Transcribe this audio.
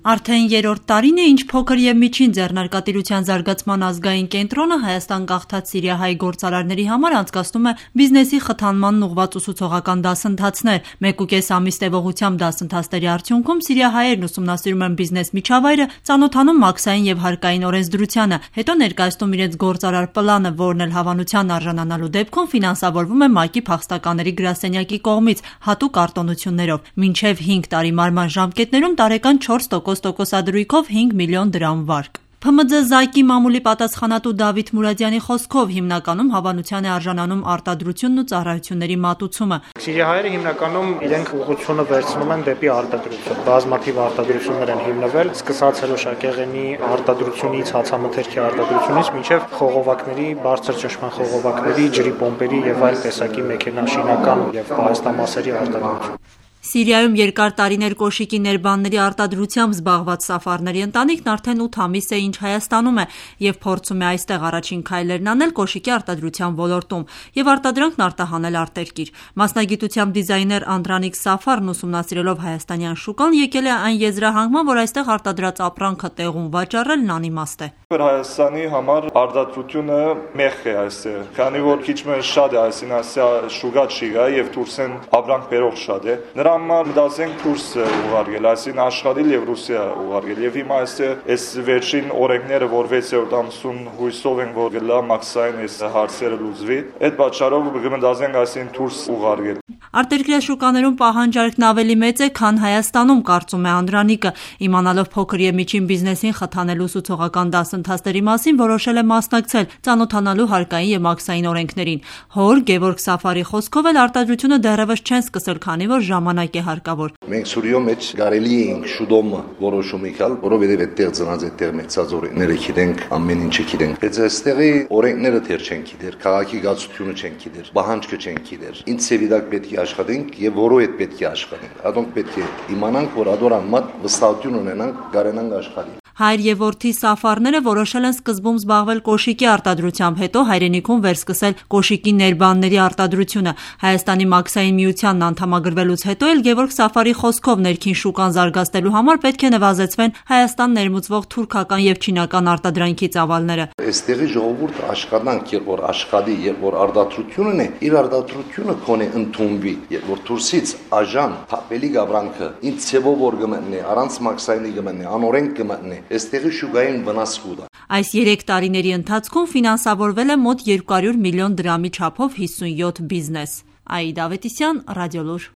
Արդեն երրորդ տարին է, ինչ փոքր եւ միջին ձեռնարկատիրության զարգացման ազգային կենտրոնը Հայաստան գաղթած սիրիահայ գործարարների համար անցկացնում է բիզնեսի խթանմանն ուղղված ուսուցողական դասընթացներ։ 1.5 ամիս տևողությամբ դասընթացների արդյունքում սիրիահայերն ուսումնասիրում են բիզնես միջավայրը, ծանոթանում մաքսային եւ հարկային օրենսդրությանը, հետո ներկայացնում իրենց գործարար պլանը, որն էլ հավանության արժանանալու դեպքում ֆինանսավորվում է ՄԱԿ-ի փախստականների գրասենյակի կողմից հատուկ արտոնություններով։ Մինչև 5 տարի մարման ժամկետներում տարեկան 4% տոկոսադրույքով 5 միլիոն դրամ վարկ։ ՓՄՁ ԶԱԿ-ի մամուլի պատասխանատու Դավիթ Մուրադյանի խոսքով հիմնականում հավանության է արժանանում արտադրությունն ու ծառայությունների մատուցումը։ Սիրիահայերը հիմնականում իրենք ուղղությունը վերցնում են դեպի արտադրություն։ Բազմաթիվ արտադրություններ են հիմնվել, սկսած հրոշակեղենի արտադրությունից, հացամթերքի արտադրությունից մինչև խողովակների, բարձր ճնշման խողովակների, ջրի պոմպերի եւ այլ տեսակի մեքենաշինական եւ պահեստամասերի արտադրություն։ Սիրիայում երկար տարիներ կոշիկի ներբանների արտադրությամբ զբաղված Սաֆարների ընտանիքն արդեն 8 ամիս է ինչ Հայաստանում է եւ փորձում է այստեղ առաջին քայլերն անել կոշիկի արտադրության ոլորտում եւ արտադրանքն արտահանել արտերկիր։ Մասնագիտությամբ դիզայներ Անդրանիկ Սաֆարն ուսումնասիրելով հայաստանյան շուկան եկել է այն եզրահանգման, որ այստեղ արտադրած ապրանքը տեղում վաճառելն անիմաստ է։ Հայաստանի համար արտադրությունը մեղ է այստեղ, քանի որ քիչ մը շատ է այսին ասա շուկա չի գա եւ դուրսեն ապրանք բերող շատ է։ Նրա համար մտածենք դուրս ուղարկել, այսին աշխատել եւ Ռուսիա ուղարկել եւ հիմա այստեղ այս վերջին օրենքները, որ 6-րդ ամսում հույսով են որ գլա մաքսային այս հարցերը լուծվի, այդ պատճառով կմտածենք այսին դուրս ուղարկել։ Արտերկրյա շուկաներում պահանջարկն ավելի մեծ է, քան Հայաստանում, կարծում է Անդրանիկը։ Իմանալով փոքր եւ միջին բիզնեսին խթանելու ուսուցողական դասընթացների մասին որոշել է մասնակցել, ծանոթանալու հարկային եւ մաքսային օրենքներին։ Հոր Գևորգ Սաֆարի խոսքով էլ արտադրությունը դեռևս չեն սկսել, քանի որ ժամանակ է հարկավոր։ Մենք Սուրիո մեջ կարելի էինք շուտով որոշում իքալ, որովհետեւ այդտեղ ծնած այդտեղ մեծած օրենքները գիտենք, ամեն ինչը գիտենք։ Բայց այստեղի օրենքները դեռ չեն գիտեր, քաղաքի գացությունը չեն գիտեր, պահանջը չեն գիտեր։ Ինչ ծավալակ պետք է աշխատենք եւ որո հետ պետք է աշխատենք։ Ադոնք պետք է իմանանք, որ ադորան մատ վստահություն ունենանք, կարենանք աշխատել։ Հայր եւ որդի Սաֆարները որոշել են սկզբում զբաղվել կոշիկի արտադրությամբ, հետո հայրենիքում վերսկսել կոշիկի ներբանների արտադրությունը։ Հայաստանի մաքսային միությանն անդամագրվելուց հետո էլ Գևորգ Սաֆարի խոսքով ներքին շուկան զարգացնելու համար պետք է նվազեցվեն Հայաստան ներմուծվող թուրքական եւ չինական արտադրանքի ծավալները։ Այստեղի ժողովուրդը աշխատանք, երբ որ աշխատի, երբ որ արտադրությունն է, իր արտադրությունը կոնե ընդունվի, երբ որ դուրսից աժան թափելի գավրանքը ինչ ցեվով որ գմնի, առանց մաքսայինի գմնի, անօրենք գմնի, այստեղի շուկային վնաս կուտա։ Այս 3 տարիների ընթացքում ֆինանսավորվել է մոտ 200 միլիոն դրամի չափով 57 բիզնես։ Աիդա Ավետիսյան, Ռադիոլուր։